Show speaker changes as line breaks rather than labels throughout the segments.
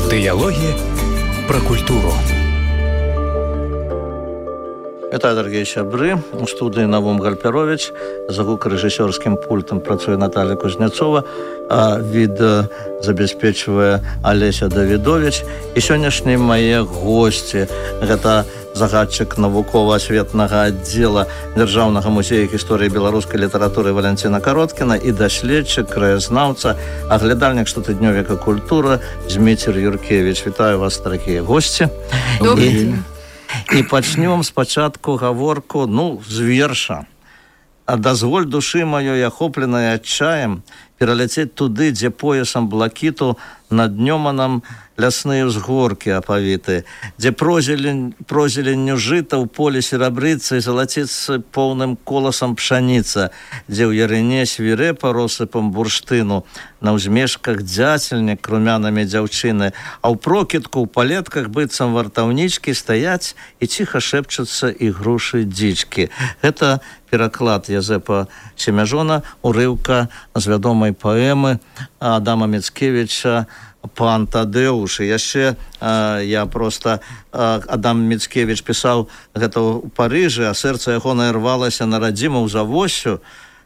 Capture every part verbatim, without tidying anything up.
Дыялогі пра культуру.
Вітаю, дорогие сябры. У студии Навум Гальперович. За гукарэжысёрскім пультам працуе Наталья Кузнецова, а відэа забяспечвае Алеся Давідович. І сённяшнія мае госці – гэта загадчык навукова-асветнага аддзела Дзяржаўнага музея гісторыі беларускай літаратуры Валянціна Кароткіна і даследчык, краязнаўца, аглядальнік штотыднёвіка «Культура» Зміцер Юркевіч. Вітаю вас, дорогие госці.
Добрый день.
І пачнём спачатку гаворку, ну, з верша. А дазволь душы маёй, ахопленай адчаем, пераляцець туды, дзе поясам блакіту над днёманам лясныя ўзгоркі апавіты, дзе прозелень, прозеленню жыта ў поле серабрыцы залаціцца поўным коласам пшаніца, дзе ў ярыне свірэпа россыпам бурштыну, на ўзмешках дзяцельнік румянамі дзяўчыны, а ў прокідку ў палетках быццам вартаўнічкі стаяць і ціха шэпчуцца ігрушы дзічкі. Гэта пераклад Язэпа Семяжона, урыўка з вядомай паэмы Адама Міцкевіча «Пан Тадеуш». І яшчэ а, я просто а, Адам Міцкевіч пісаў гэта ў Парыжы, а сэрца ягонае рвалася на радзіму ў Завоссю.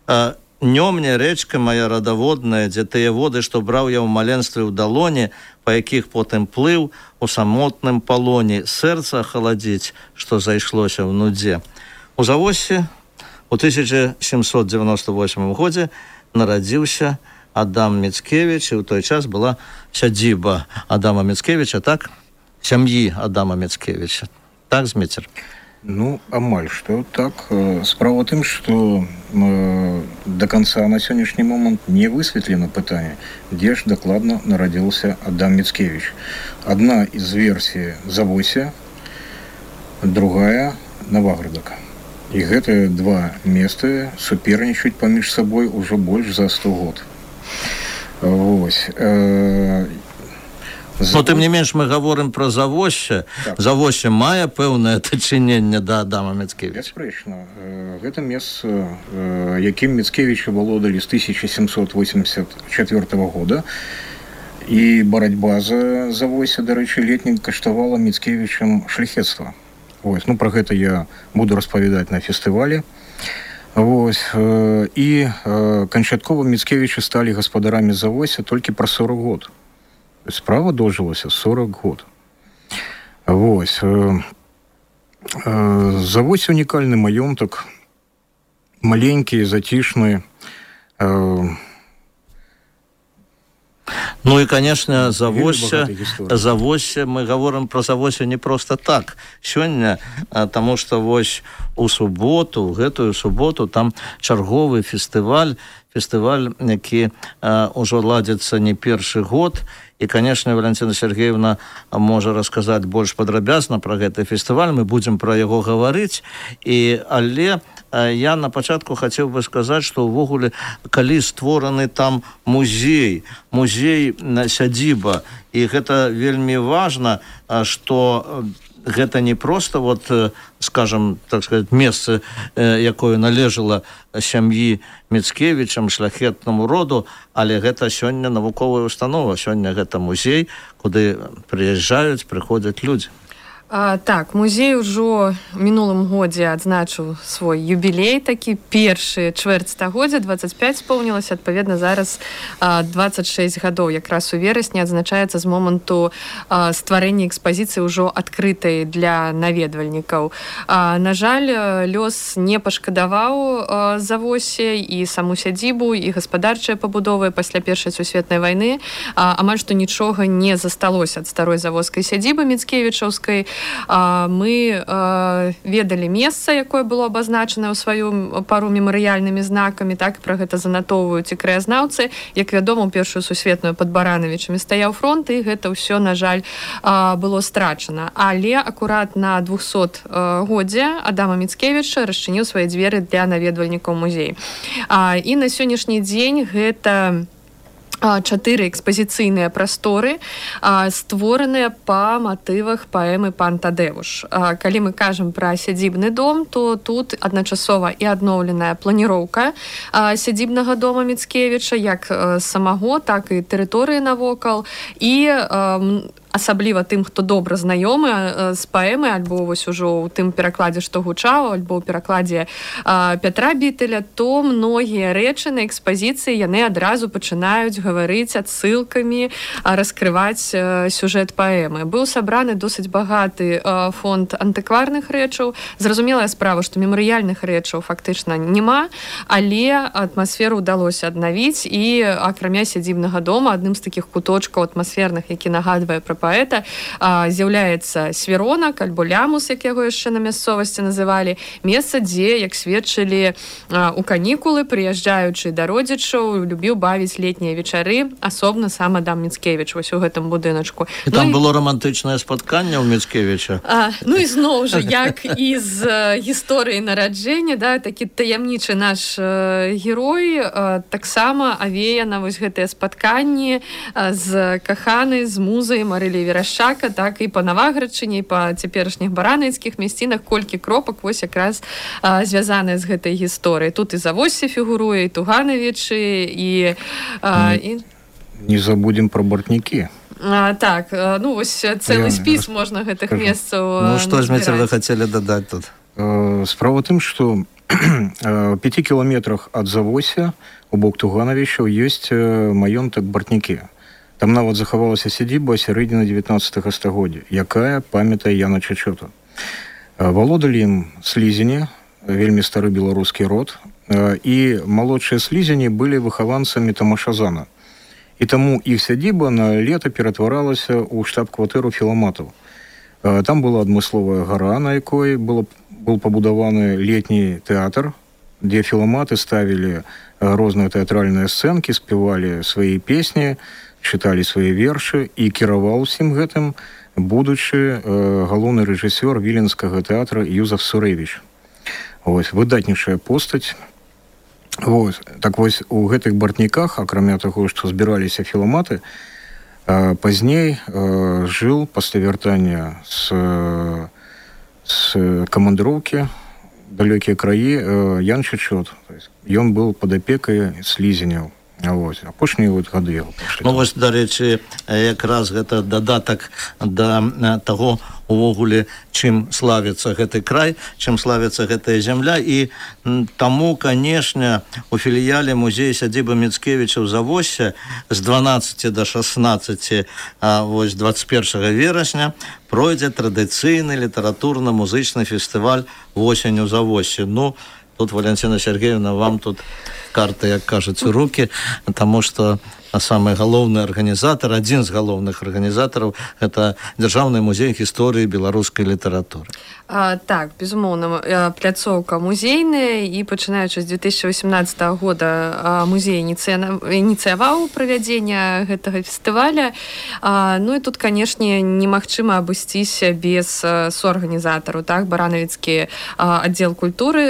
А, «Нё мне, рэчка моя радаводная, дзе тыя воды, што браў я ў маленстве ў далоні, па якіх потым плыў у самотным палоні, сэрца халадзіць, што зайшлося ў нудзе». У Завоссі у тысяча сямсот девяносто восьмым годзе нарадзіўся Адам Міцкевіч, і ў той час была сядзіба Адама Міцкевіча, так? Сям'і Адама Міцкевіча. Так, Зміцер?
Ну, амаль што так. Справа тым, што э, до конца на сённяшні момант не высветлена пытанне, дзе ж дакладна нарадзіўся Адам Міцкевіч. Адна з версій Завосся, другая Наваградак. І гэтыя два месты супернічаюць паміж сабой ужо больш за сто год. Вось. Э,
Завос... Но тым не менш мы гаворым пра Завоссе. Так. Завоссе мае пэўнае дачыненне да Адама Міцкевіча.
Бясспрэчна. Гэта месца, якім Міцкевіча валодалі з тысяча сямсот восемьдесят четвёртого года. І барацьба за Завоссе, дарэчы, летнім каштавала Міцкевічам шляхецтва. Вось. Ну, пра гэта я буду распавядаць на фестывалі. Вось. І канчаткова Міцкевічы сталі гаспадарамі Завосся толькі пра сорок год. Справа дожылася сорок год. Вось. Завосся унікальны маёнтак, маленькі, зацішны.
Ну и, конечно, Завосся, Завосся, мы говорим про Завосся не просто так. Сёння, потому что вось у суботу, в гэтую суботу, там чарговы фестываль, фестываль, які ўжо ладзіцца не першы год. І, конечно, Валентина Сергеевна можа расказаць больш падрабязна пра гэты фестываль, мы будзем пра яго гаварыць. І, але я на пачатку хацеў бы сказаць, што ўвогуле, калі створаны там музей, музей сядзіба, і гэта вельмі важна, што гэта не просто, вот, скажем, так сказать, месца, якое належала сям'і Міцкевічам, шляхетнаму роду, але гэта сёння навуковая установа, сёння гэта музей, куды прыязджаюць, прыходзяць людзі.
А, так, музей ўжо ў мінулым годзе адзначыў свой юбілей, такі першы чвэрць стагоддзя, двадцать пять споўнілася, адпаведна зараз а, двадцать шесть гадоў, якраз у верасні адзначаецца з моманту а, стварэння экспазіцыі ўжо адкрытай для наведвальнікаў. А, на жаль, лёс не пашкадаваў Завоссе і саму сядзібу, і гаспадарчыя пабудовы пасля першай сусветнай вайны. А, амаль што нічога не засталося ад старой заводскай сядзібы міцкевічаўскай. Мы ведалі месца, якое было абазначана ў сваю пару мемарыяльнымі знакамі, так, пра гэта занатоўваюць і краязнаўцы. Як вядома, у першую сусветную пад Баранавічамі стаяў фронт, і гэта ўсё, на жаль, было страчана. Але акурат на двухсот годзе Адама Міцкевіча расчыніў свае дзверы для наведвальнікаў музея. І на сённяшні дзень гэта чатыры экспазіцыйныя прасторы, створаныя па матывах паэмы «Пан Тадеуш». Калі мы кажам пра сядзібны дом, то тут адначасова і адноўленая планіроўка сядзібнага дома Міцкевіча, як самаго, так і тэрыторыі навокал, і асабліва тым, хто добра знаёмы з паэмы, альбо вось ужо ў тым перакладзе, што гучаў, альбо ў перакладзе Пятра Бітеля, то многія рэчы на экспазіцыі яны адразу пачынаюць гаварыць адсылкамі, раскрываць сюжэт паэмы. Быў сабраны досыць багаты фонд антыкварных рэчаў. Зразумелая справа, што мемарыяльных рэчаў фактычна няма, але атмасферу ўдалося аднавіць, і акрамя сядзібнага дома адным з такіх куточкаў атмасферных, які нагадвае пра паэта, з'яўляецца свіронак альбо лямус, як яго яшчэ на мясцовасці называлі, месца, дзе, як сведчылі у канікулы, прыязджаючы да родзічаў, любіў бавіць летнія вечары, асобна сам Адам Міцкевіч вось у гэтым будыначку.
І там ну, было романтычнае спатканне ў Міцкевіча.
А, ну і зноў жа, як і з гісторыі нараджэння, да, такі таямнічы наш э, герой, э, таксама авеяна вось гэтыя спатканні э, з каханай, з музай Марылі Верашчака, так і па Наваградчыне, і па цяперашніх баранайскіх мясцінах, колькі кропак вось якраз э, звязаныя з гэтай гісторыяй. Тут і Завоссе фігуруе, і Туганавічы, і... Э, і...
Не забудем про Бортнікі.
А, так, ну вось цэлы спіс можна гэтых месцаў.
Ну што ж мы цябе хацелі дадаць тут?
Справа ў тым, што у пяці кіламетрах ад Завосся у бок Туганавічаў ёсць маёнтак Бортнікі. Там нават захавалася сядзіба сярэдзіны дзевятнаццатага стагоддзя, якая памятае Яна Чачота. Валодалі ім слізені, вельмі стары беларускі род, і малодшыя слізені былі выхаванцамі Тамашазана. І таму іх сядзіба на лета ператваралася ў штаб-кватэру філаматаў. Там была адмысловая гара, на якой было, был пабудаваны летні тэатр, дзе філаматы ставілі розныя тэатральныя сцэнкі, спявалі свае песні, чыталі свае вершы, і кіраваў усім гэтым будучы галоўны рэжысёр віленскага тэатра Юзеф Сурэвіч. Вось, выдатнейшая постаць. Вось. Так вось, у гэтых Бортніках, акрамя таго, што збіраліся філаматы, пазней жыў пасля вяртання з, з камандыроўкі далёкія краі Ян Чачот. Ён быў пад апекай слізеняў. Вось, апошнія вот гады яго пашлі.
Ну вось, дарэчы, якраз гэта дадатак да таго, увогуле, чым славіцца гэты край, чым славіцца гэтая зямля, і таму, канешне, у філіяле музея сядзібы Міцкевіча ў Завоссе з дванаццаці да шаснаццаці вось дваццаць першага верасня пройдзе традыцыйны літаратурна-музычны фестываль «Восень у Завоссе». Ну, тут, Валентина Сергеевна, вам тут карты, як кажуць, у рукі, таму што самы галоўны арганізатар, адзін з галоўных арганізатараў, гэта Дзяржаўны музей гісторыі беларускай літаратуры.
А, так, безумоўна, пляцоўка музейная, і пачынаючы з две тысячи восемнадцатого года музей ініцыяваў правядзення гэтага фестываля. А, ну і тут, канешне, немагчыма абысціся без суарганізатару, так, баранавіцкі аддзел культуры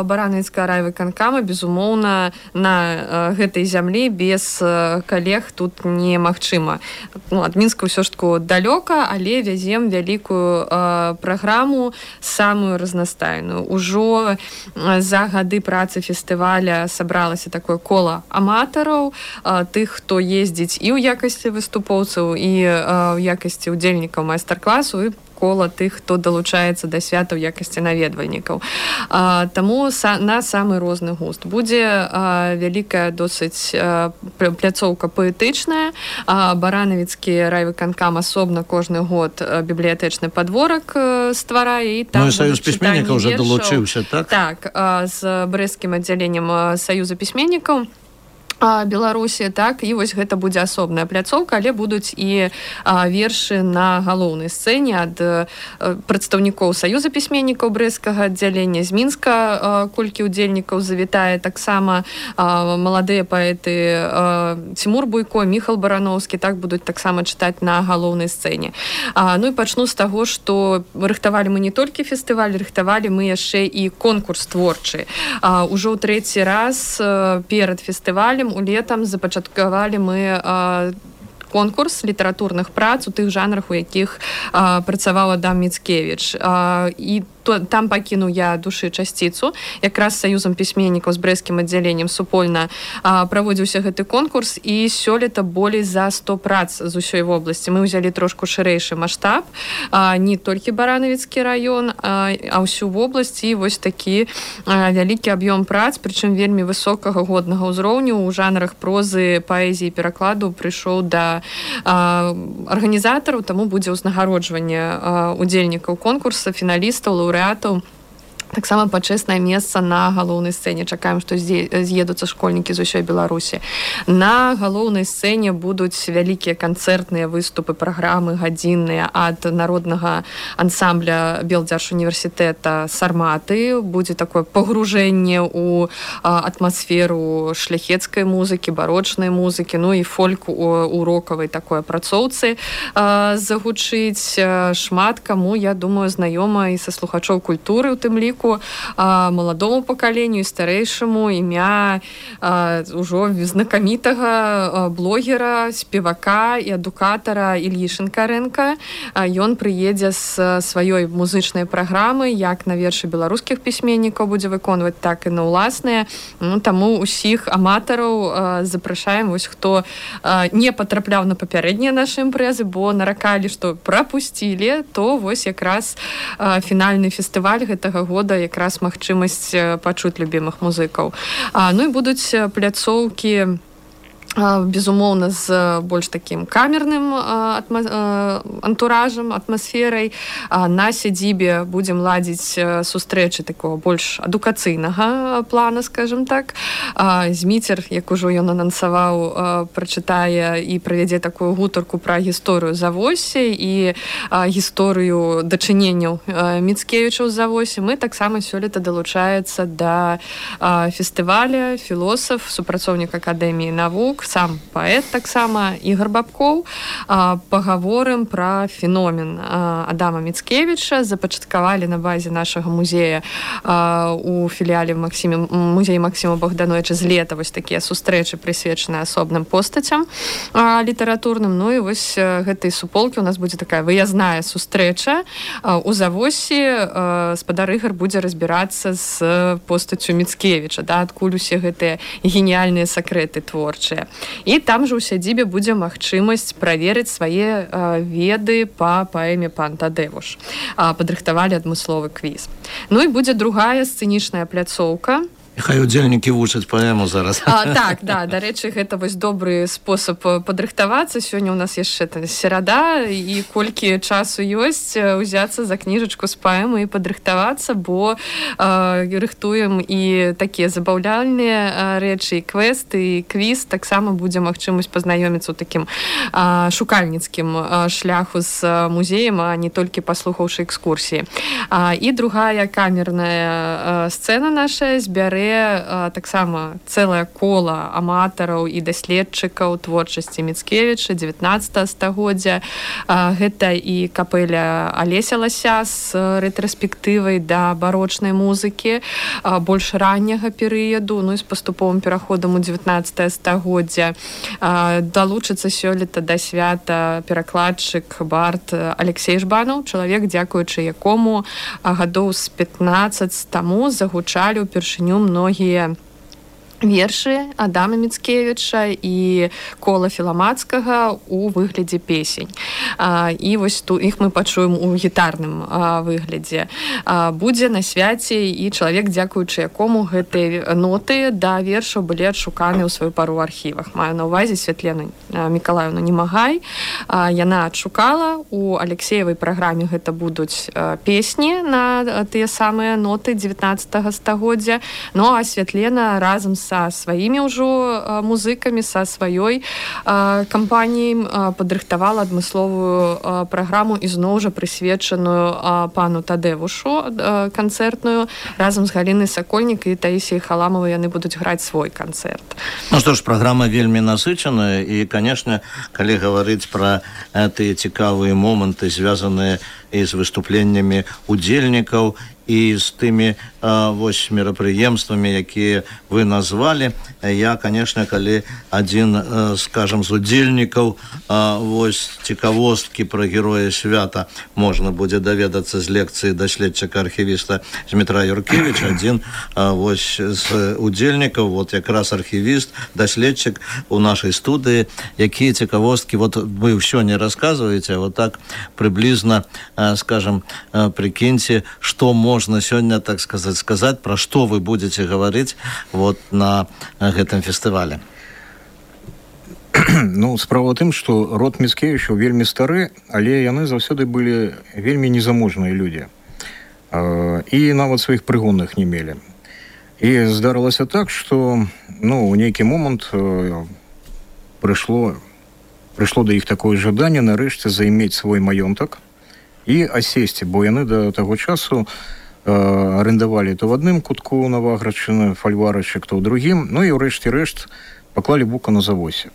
баранавіцкага райвыканкама, безумоўна, на гэтай зямлі без калег тут немагчыма. Ну, ад Мінска ўсё ж таку далёка, але вязем вялікую э, праграму, самую разнастайную. Ужо за гады працы фестываля сабралася такое кола аматараў, э, тых, хто ездзіць і ў якасці выступоўцаў, і э, ў якасці удзельнікаў майстар-класу, і кола тых, хто далучаецца да свята ў якасці наведвальнікаў. А, таму са, на самы розны густ. Будзе а, вялікая досыць а, пляцоўка паэтычная. А, баранавіцкі райвыканкам асобна кожны год бібліятэчны падворак а, стварае. І там
ну і Саюз пісьменнікаў уже далучыўся, так?
Так, а, з брэсцкім аддзяленнем Саюза пісьменнікаў Беларусі, так, і вось гэта будзе асобная пляцоўка, але будуць і а, вершы на галоўнай сцэне ад а, прадстаўнікоў Саюза пісьменнікаў брэсцкага аддзялення, з Мінска а, колькі удзельнікаў завітае, таксама а, маладыя паэты а, Цімур Буйко, Міхал Барановскі, так, будуць таксама чытаць на галоўнай сцэне. А, ну і пачну з таго, што рыхтавалі мы не толькі фестываль, рыхтавалі мы яшчэ і конкурс творчы. А, ужо ў трэці раз а, перад фестывалем у летам запачаткавалі мы а, конкурс літаратурных прац у тых жанрах, у якіх а, працаваў Адам Міцкевіч. А, і то, там пакінуў я душы часціцу. Якраз з саюзам пісьменнікаў з брэсцкім аддзяленнем супольна а, праводзіўся гэты конкурс, і сёлета болей за сто прац з усёй вобласці. Мы ўзялі трошку шырэйшы маштаб, а, не толькі Баранавіцкі раён, а, а ўсю вобласць, і вось такі а, вялікі аб'ём прац, прычым вельмі высокага годнага ўзроўню у жанрах прозы, паэзіі, перакладу прыйшоў да а, арганізатараў, таму будзе ўзнагароджванне удзельнікаў конкурса, фіналістаў, лаўрэатаў. Таксама пачэснае месца на галоўнай сцэне. Чакаем, што з'едуцца школьнікі з усёй Беларусі. На галоўнай сцэне будуць вялікія канцэртныя выступы, праграмы гадзінныя ад народнага ансамбля Белдзяржуніверсітэта «Сарматы». Будзе такое пагружэнне ў атмасферу шляхецкай музыкі, барочнай музыкі, ну і фольк у рокавай такой апрацоўцы загучыць. Шмат каму, я думаю, знаёма і са слухачоў культуры, у тым ліку маладому пакаленню і старэйшаму імя а, ўжо знакамітага блогера, спевака і адукатара Ільі Шынкарэнка. Ён прыедзе з сваёй музычнай праграмы, як на вершы беларускіх пісьменнікаў будзе выконваць, так і на ўласныя. Ну, таму усіх аматараў запрашаем, вось хто не патрапляў на папярэднія нашы імпрэзы, бо наракалі, што прапусцілі, то вось якраз фінальны фестываль гэтага года якраз магчымасць пачуць любімых музыкаў. А, ну і будуць пляцоўкі безумоўна з больш такім камерным атма... антуражам, атмасферай. На сядзібе будзем ладзіць сустрэчы такого больш адукацыйнага плана, скажем так. Зміцер, як ужо ён анансаваў, прачытае і правядзе такую гутарку пра гісторыю Завосі і гісторыю дачыненняў Міцкевічаў з Завосі. Мы таксама сёлета далучаецца да фестываля філосаф, супрацоўнік Акадэміі навук, сам паэт таксама Ігор Бабкоў. Пагаворым пра феномен Адама Міцкевіча. Запачаткавалі на базе нашага музея у філіяле Максіме, музеі Максіма Богдановича з лета вось такія сустрэчы, прысвечаныя асобным постацям літаратурным. Ну і вось гэтай суполкі у нас будзе такая выязная сустрэча у Завосі. Спадар Ігар будзе разбірацца з постацю Міцкевіча, да, адкуль усе гэтыя геніяльныя сакрэты творчыя. І там жа ў сядзібе будзе магчымасць праверыць свае а, веды па паэме «Пан Тадевуш». А, падрыхтавалі адмысловы квіз. Ну і будзе другая сцэнічная пляцоўка.
Хай удзельнікі вучаць паэму зараз.
А, так, да, дарэчы, гэта вось добры спосаб падрыхтавацца. Сёння ў нас яшчэ серада, і колькі часу ёсць, узяцца за кніжачку з паэмы і падрыхтавацца, бо а, рыхтуем і такія забаўляльныя рэчы, і квесты, і квіз. Таксама будзе магчымасць пазнаёміцца ў такім а, шукальніцкім а, шляху з музеем, а не толькі паслухаўшы экскурсіі. А, і другая камерная а, сцэна наша збярэ таксама цэлае кола аматараў і даследчыкаў творчасці Міцкевіча дзевятнаццатага стагоддзя. Гэта і капэля Алеся Лася з рэтраспектывай да барочнай музыкі больш ранняга перыяду, ну і з паступовым пераходам у дзевятнаццатае стагоддзя. Далучыцца сёлета да свята перакладчык, бард Алексей Жбанаў, чалавек, дзякуючы якому гадоў з пятнаццаць таму загучалі ўпершыню многія вершы Адама Міцкевіча і кола Філамацкага у выглядзе песень. А, і вось тут іх мы пачуем у гітарным а, выглядзе. А, будзе на свяце і чалавек, дзякуючы якому гэтыя ноты да вершаў былі адшуканы ў сваю пару ў архівах. Маю на ўвазе Святлену Мікалаевну Немагай. А, яна адшукала. У Алексеевай праграме гэта будуць а, песні на тыя самыя ноты дзевятнаццатага стагоддзя. Ну а Святлена разам з са сваімі ўжо музыкамі, са сваёй кампаніяй падрыхтавала адмысловую праграму ізноў жа прысвечаную пану Тадевушу канцэртную. Разам з Галінай Сакольнік і Таісіяй Халамавай яны будуць граць свой канцэрт.
Ну што ж, праграма вельмі насычаная, і, канешне, калі гаварыць пра тыя цікавыя моманты, звязаныя і з выступленнямі удзельнікаў, і з тымі вось мерапрыемствамі, якія вы назвалі. Я, конечно, калі адзін, скажем, з удзельнікаў вось цікавосткі пра героя свята можна будзе даведацца з лекцыі даследчыка-архівіста Змітра Юркевіча, адзін вось з удзельнікаў, вот якраз архівіст, даследчык у нашай студыі, якія цікавосткі вот вы ўсё не расказваеце, вот так прыблізна, скажем, прикиньте, что можно сегодня, так сказать, сказать, про что вы будете говорить вот на гэтым фестывале.
Ну, справа ў тым, што род Міцкевічаў вельмі стары, але яны заўсёды былі вельмі незаможныя людзі. І нават сваіх прыгонных не мелі. І здарылася так, што, ну, у нейкі момант прыйшло, прыйшло да іх такое жаданне нарэшце займець свой маёнтак і асесці, бо яны да таго часу э, арендавалі то в адным кутку Наваградчыны фальварачак, то ў другім, ну і ўрэшце рэшт паклалі бука на завосе.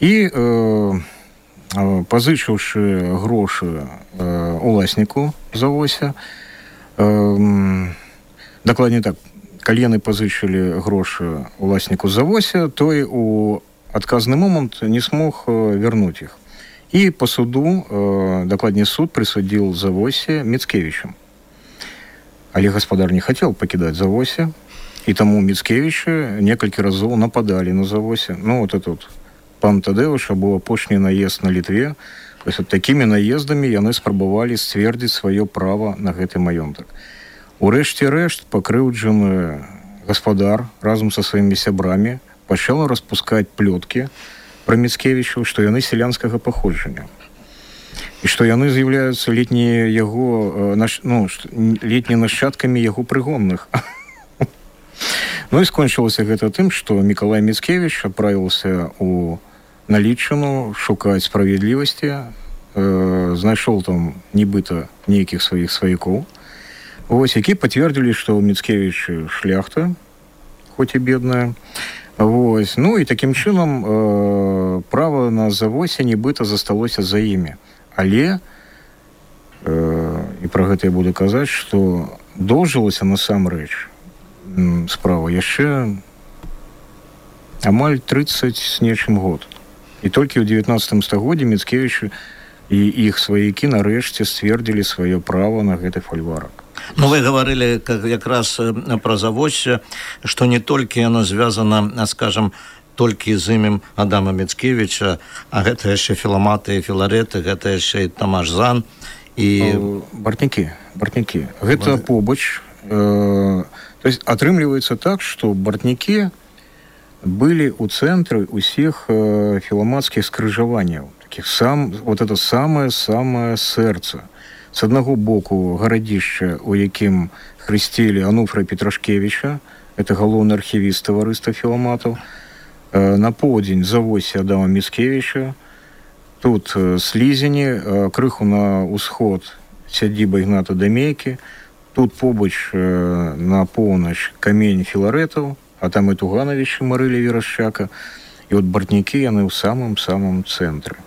І э, э, пазычыўшы грошы э, уласніку завося, э, дакладней так, калі яны пазычылі грошы уласніку завося, той у адказны момант не смог вярнуць іх. И по суду, э, докладней суд присудил Завосе Мицкевичам. Але гаспадар не хотел покидать Завосе, и тому Мицкевичи несколько разов нападали на Завосе. Ну, вот этот вот пан Тадеуша был апошні наезд на Литве. То есть вот такими наездами яны спрабавалі сцвердзіць свое право на гэты маёнтак. Урэшце рэшт пакрыўджаны гаспадар разом со своими сябрамі пачаў распускать плёткі про Мицкевичу, што яны селянскага паходжання. І што яны з'яўляюцца летнія яго, ну, летнімі нашчадкамі яго прыгонных. Ну і скончылася гэта тым, што Мікалай Мицкевич адправіўся у Налічыну шукаць справядлівасці, э, знайшоў там нібыта нейкіх сваіх сваякоў, вось, які пацвердзілі, што ў Мицкевичы шляхта, хоць і бедная. Вось. Ну і такім чынам э, права на завосе нібыта засталося за імі. Але э, і пра гэта я буду казаць, што доўжылася насамрэч справа яшчэ амаль трыццаць з нечым год. І толькі ў дзевятнаццатым стагоддзі Мицкевічы і іх сваякі нарэшце сцвердзілі сваё права на гэты фальварак.
Ну, вы говорили как раз про Завосе, что не только оно связано, скажем, только с именем Адама Мицкевича, а это еще Филаматы и Филареты, это еще и Тамаш Зан. И...
Бортники, бортники. Это побач. Э, то есть отрымливается так, что бортники были у центра усіх э, филаматских скрыжаваний. Таких сам, вот это самое-самое сердце. С аднаго боку гарадзішча, у якім хрысцілі Ануфра Петрашкевіча, это галоўны архівіст таварыства філаматаў, на поўдзень Завосе Адама Мицкевича, тут Слізені, крыху на ўсход сядзіба Ігната Дамейкі, тут побач на поўнач камень Філарэтаў, а там і Тугановичы Марылі Верашчака, і от бартнікі яны ў самым-самым цэнтры.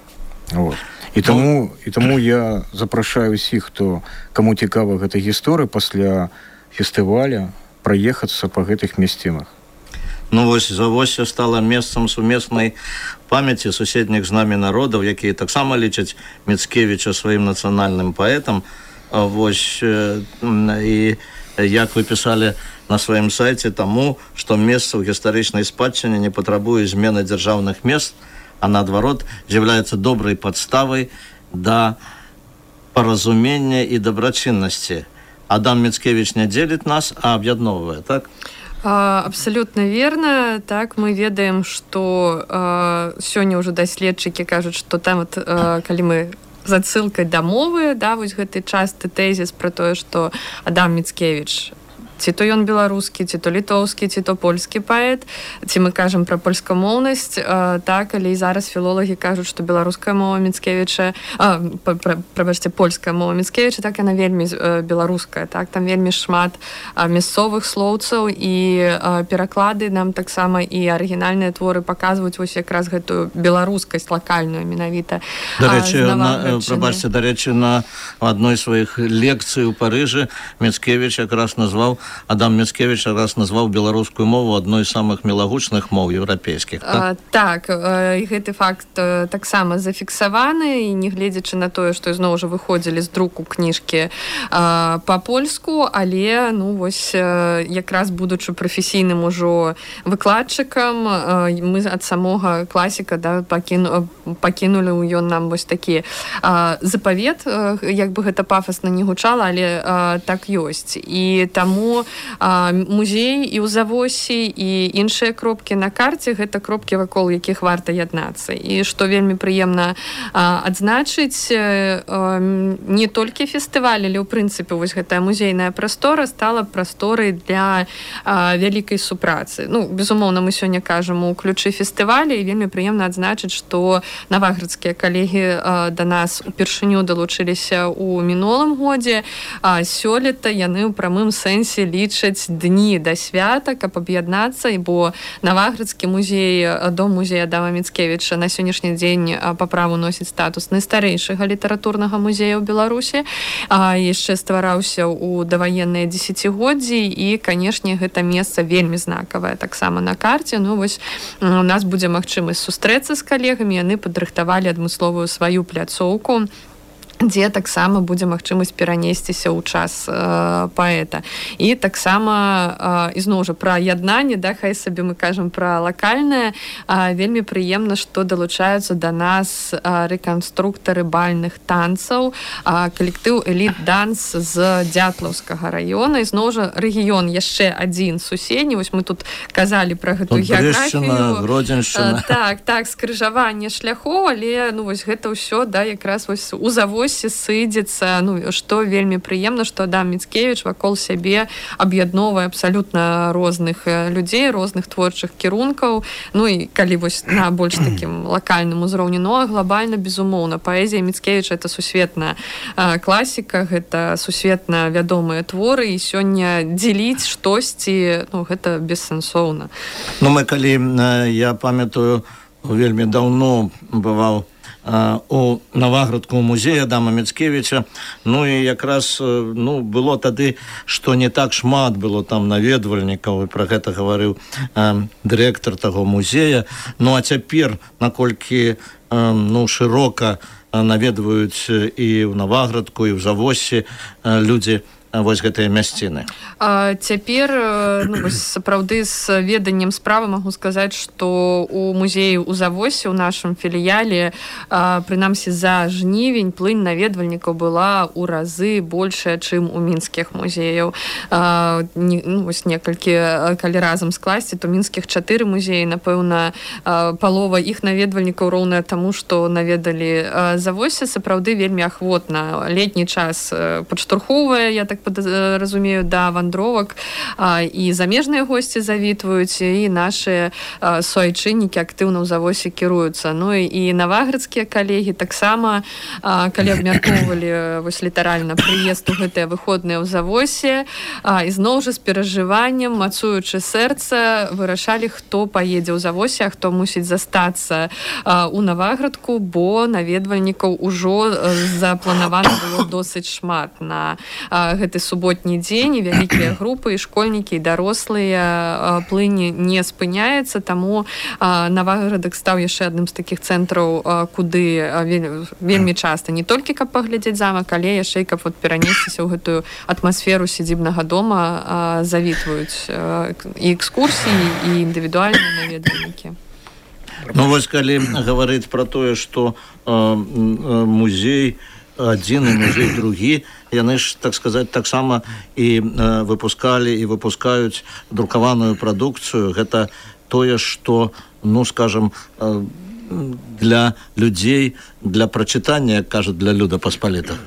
Вот. І таму, і таму я запрашаю ўсіх, хто каму цікава гэта гісторыя пасля фестываля праехацца па гэтых мясцінах.
Ну вось Завосе стала месцам сумеснай памяці суседніх з намі народаў, якія таксама лічаць Мицкевича сваім нацыянальным паэтам. Вось і як вы пісалі на сваім сайце, таму, што месца ў гістарычнай спадчыне не патрабуе змены дзяржаўных мест, а наадварот з'яўляецца добрай падставай да паразумення і дабрачыннасці. Адам Мицкевич не дзеліць нас, а аб'ядноўвае, так?
А, абсолютно верно. Так, мы ведаем, што а, сёння ўжо даследчыкі кажуць, што там вот, а, калі мы з адсылкай да мовы, да, вось гэты часты тэзіс пра тое, што Адам Мицкевич ці то ён беларускі, ці то літоўскі, ці то польскі паэт, ці мы кажам пра польскамоўнасць, так, але і зараз філолагі кажуць, што беларуская мова Міцкевіча, прабачце, польская мова Міцкевіча, так, яна вельмі беларуская, так, там вельмі шмат мясцовых слоўцаў, і пераклады нам таксама і арыгінальныя творы паказваюць вось якраз гэтую беларускасць лакальную менавіта.
Дарэчы, прабачце, дарэчы, на адной з сваіх лекцый у Парыжы Міцкевіч якраз назваў, Адам Міцкевіч якраз назваў беларускую мову адной з самых мілагучных моў еўрапейскіх. Так,
так, і гэты факт таксама зафіксаваны, і не гледзячы на тое, што зноў жа выходзілі з друку кніжкі па-польску, але, ну, вось, якраз будучы прафесійным ужо выкладчыкам, мы ад самога класіка, да, пакіну, пакінулі ў ён нам вось такі запавет, як бы гэта пафасна не гучала, але так ёсць. І таму музей і ў Завосі, і іншыя кропкі на карце, гэта кропкі, вакол якіх варта яднацца. І што вельмі прыемна адзначыць, не толькі фестываль, але ў прынцыпе вось гэтая музейная прастора стала прасторай для вялікай супрацы. Ну, безумоўна, мы сёння кажам у ключы фестываля, і вельмі прыемна адзначыць, што наваградскія калегі да нас упершыню далучыліся ў мінулым годзе, а сёлета яны ў прамым сэнсе лічаць дні да свята, каб аб'яднацца, бо Наваградскі музей, дом музея Адама Міцкевіча на сённяшні дзень па праву носіць статус найстарэйшага літаратурнага музея ў Беларусі, а яшчэ ствараўся ў даваенныя дзесяцігоддзі, і, канешне, гэта месца вельмі знакавае таксама на карце. Ну, вось у нас будзе магчымасць сустрэцца з калегамі, яны падрыхтавалі адмысловую сваю пляцоўку, дзе таксама будзе магчымасць перанесціся ў час э, паэта. І таксама э, ізноў жа пра яднанне, да, хай сабе мы кажам пра лакальнае, э, вельмі прыемна, што далучаюцца да нас э, рэканструктары бальных танцаў, э, калектыў Эліт Данс з Дзятлаўскага раёна. Ізноў жа рэгіён яшчэ адзін суседні. Вось мы тут казалі пра гэту геаграфію.
Гродзеншчына.
Э, так, так, скрыжаванне шляхоў, але, ну, вось гэта ўсё, да, якраз вось у Завосі сыдзецца, ну, што вельмі прыемна, што Адам Міцкевіч вакол сябе аб'ядноўвае абсалютна розных людзей, розных творчых кірункаў. Ну, і калі вось на больш такім лакальным узроўні, ну, а глобальна, безумоўна, паэзія Міцкевіча — это сусветная класіка, гэта сусветна вядомыя творы, і сёння дзеліць штосьці, ну, гэта бессэнсоўна.
Ну, мы калі, я памятаю, вельмі даўно бываў у Наваградскому музеі Адама Міцкевіча, ну і якраз, ну, было тады, што не так шмат было там наведвальнікаў, і пра гэта гаварыў э, дырэктар таго музея. Ну, а цяпер, наколькі, э, ну, шырока наведваюць і ў Наваградку, і ў Завосі э, людзі вось гэтыя мясціны.
А, цяпер, ну, вось, сапраўды з веданнем справы магу сказаць, што у музеі ў Завосе, у нашым філіяле, а, прынамсі за жнівень плынь наведвальнікаў была ў разы большая, чым у мінскіх музеяў. А, не, ну, вось некалькі, калі разам скласці, то мінскіх чатыры музеі, напэўна, а, палова іх наведвальнікаў роўная таму, што наведалі а, Завосе. Сапраўды вельмі ахвотна. Летні час падштурхоўвае, я так разумею, да вандровак, а, і замежныя госці завітваюць, і нашы а, суайчыннікі актыўна ў Завосе кіруюцца. Ну і, і наваградскія калегі таксама, а, калі абмяркоўвалі вось літаральна прыезд у гэтыя выходныя ў Завосе, а, і зноў жа з перажываннем, мацуючы сэрца, вырашалі, хто паедзе ў Завосе, а хто мусіць застацца а, у Наваградку, бо наведвальнікаў ужо запланавана было досыць шмат на а, гэты суботні дзень, і вялікія групы, і школьнікі, і дарослыя, плынь не спыняецца, таму Наваградак стаў яшчэ адным з такіх цэнтраў, куды вельмі часта не толькі каб паглядзець замак, але яшчэ і каб вот перанесціся ў гэтую атмасферу сядзібнага дома, завітваюць і экскурсіі, і індывідуальныя наведвальнікі.
Ну вось калі гаварыць пра тое, што музей адзін і музей другі, яны ж, так сказаць, таксама і э, выпускалі і выпускаюць друкаваную прадукцыю. Гэта тое, што, ну, скажам, э, для людзей, для прачытання, як кажуць, для люда паспалітага.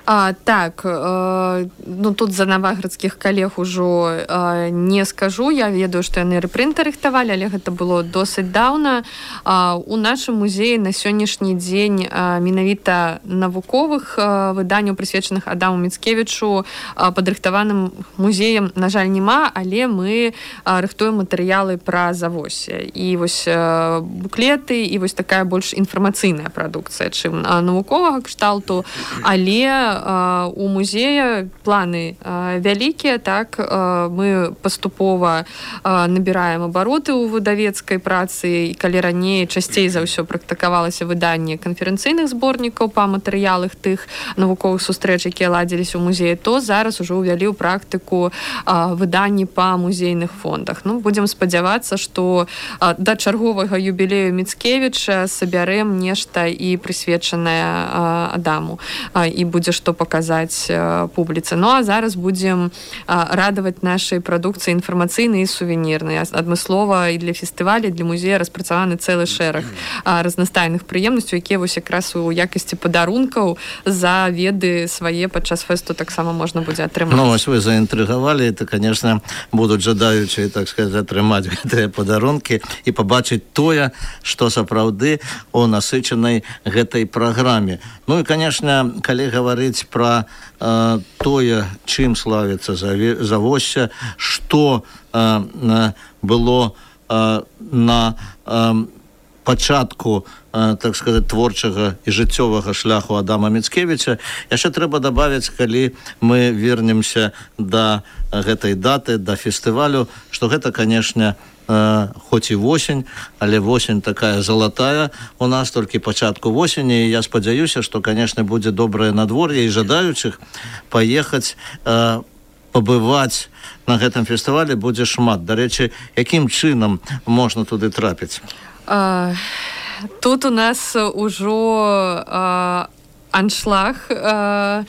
А, так, э, ну тут за наваградскіх калег ужо э, не скажу, я ведаю, што яны рэпрынты рыхтавалі, але гэта было досыць даўна. А, у нашым музеі на сённяшні дзень а, менавіта навуковых а, выданняў, прысвечаных Адаму Міцкевічу, а, падрыхтаваным музеем, на жаль, няма, але мы а, рыхтуем матэрыялы пра Завоссе. І вось а, буклеты, і вось такая больш інфармацыйная прадукцыя, чым а, навуковага кшталту, але а, у музея планы а, вялікія, так, а, мы паступова а, набіраем абароты ў выдавецкай працы, і калі раней часцей за ўсё практыкавалася выданне канферэнцыйных зборнікаў па матэрыялах тых навуковых сустрэч, якія ладзіліся ў музеі, то зараз ужо ўвялі ў практыку а, выданні па музейных фондах. Ну, будзем спадзявацца, што а, да чарговага юбілею Міцкевіча сабярэм нешта і прысвечанае а, Адаму, а, і будзе што паказаць а, публіцы. Ну, а зараз будзем а, радаваць нашай прадукцыі інфармацыйнай і сувенірнай. Адмыслова і для фестываля, для музея распрацаваны цэлы шэраг а, разнастайных прыемнасцяў, якія вось якраз у якасці падарункаў за веды свае падчас фэсту таксама можна будзе атрымаць.
Ну, вось вы заінтрыгавалі, это, конечно, будуць жадаючыя, так сказать, атрымаць гэтыя падарункі і пабачыць тое, што сапраўды у насычанай гэтай праграме. Ну і, конечно, калі гаварыць пра э, тое, чым славіцца Завоссе, што э, было э, на э, пачатку, так сказать, творчага і жыццёвага шляху Адама Міцкевіча, яшчэ трэба дабавіць, калі мы вернемся да гэтай даты, да фестывалю, што гэта, конечно, хоць і восень, але восень такая залатая у нас, толькі пачатку восені, і я спадзяюся, што, конечно, будзе добрае надвор'е і жадаючых паехаць пабываць на гэтым фестывалі будзе шмат. Дарэчы, якім чынам можна туды трапіць?
А, тут у нас ужо а, аншлаг а,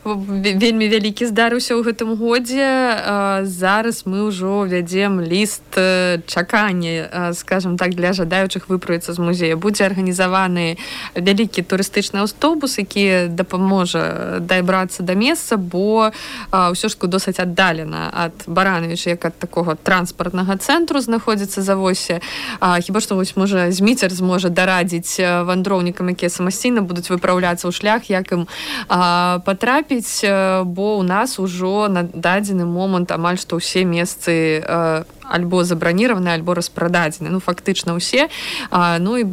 вельмі вялікі здарыўся ў гэтым годзе. А, зараз мы ўжо вядзем ліст чакання, скажем так, для жадаючых выправіцца з музея. Будзе арганізаваны вялікі турыстычны аўтобус, які дапаможа дабрацца да месца, бо а, ўсё ж досыць аддалена ад Барановіча, як ад такога транспартнага цэнтру знаходзіцца Завоссе. А, хіба што вось можа Зміцер зможа дарадзіць вандроўнікам, якія самастійна будуць выпраўляцца ў шлях, як ім а, патрапіць, бо ў нас ужо на дадзены момант амаль што ўсе месцы а, альбо забраніраваны, альбо распрададзены. Ну, фактычна ўсе. А, ну, і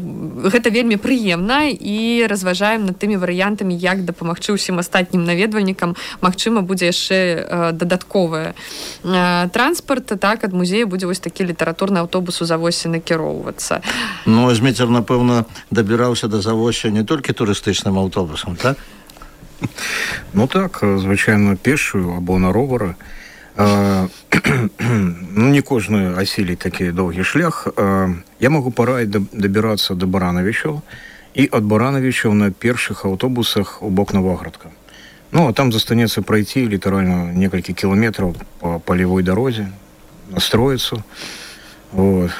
гэта вельмі прыемна, і разважаем над тымі варыянтамі, як дапамагчы ўсім астатнім наведвальнікам. Магчыма, будзе яшчэ а, дадатковы а, транспарт. Так, ад музея будзе вось такі літаратурны аўтобус у Завоссе накіроўвацца.
Ну, Зміцер, напэўна, дабіраўся да Завосся не толькі турыстычным аўтобусам, так?
Ну так, звычайно, пешую або на ровары. А, ну, не кожны асіліць такі доўгі шлях. А, я магу параіць дабірацца да Барановічаў і ад Барановічаў на першых аўтобусах у бок Наваградка. Ну, а там застанецца прайти літаральна некалькі кіламетраў по палявой дарозе, настроіцца. Вот.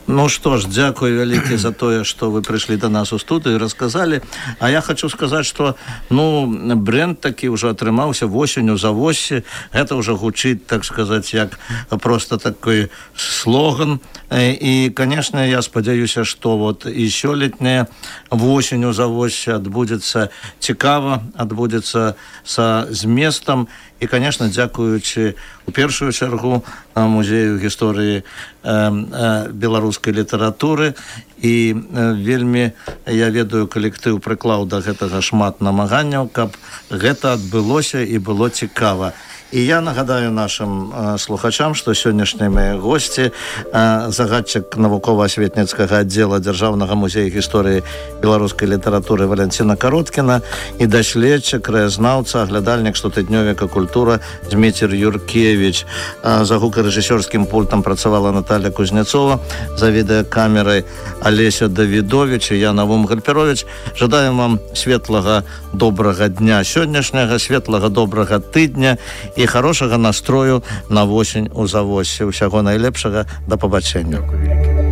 Ну што ж, дзякую вялікі за тое, што вы прыйшлі да нас у студыю і расказалі. А я хочу сказаць, што ну, бренд такі ўжо атрымаўся восенню Завоссе. Гэта ўжо гучыць, так сказаць, як просто такой слоган. І, конечно, я спадзяюся, што вот і сёлетняя восень у Завоссе адбудзецца цікава, адбудзецца са зместам. І, конечно, дзякуючы у першую чаргу музею гісторыі э, э, беларускай літаратуры. І э, вельмі, я ведаю, калектыў прыклаў да гэтага шмат намаганняў, каб гэта адбылося і было цікава. І я нагадаю нашим э, слухачам, што сённяшнія мае госці, э, загадчык навукова-асветніцкага аддзела Дзяржаўнага музея гісторыі беларускай літаратуры Валянціна Кароткіна і даследчык, краязнаўца, аглядальнік штотыднёвіка «Культура» Зміцер Юркевіч. Э, за гукарэжысёрскім пультам працавала Наталья Кузнецова, за відэакамерай Алеся Давідович і я, Навум Гальперович. Жадаем вам светлага, добрага дня сённяшняга, светлага, добрага тыдня і хорошага настрою на восень у Завоссе. Усяго найлепшага, да пабачэння.
Дякую вялікі.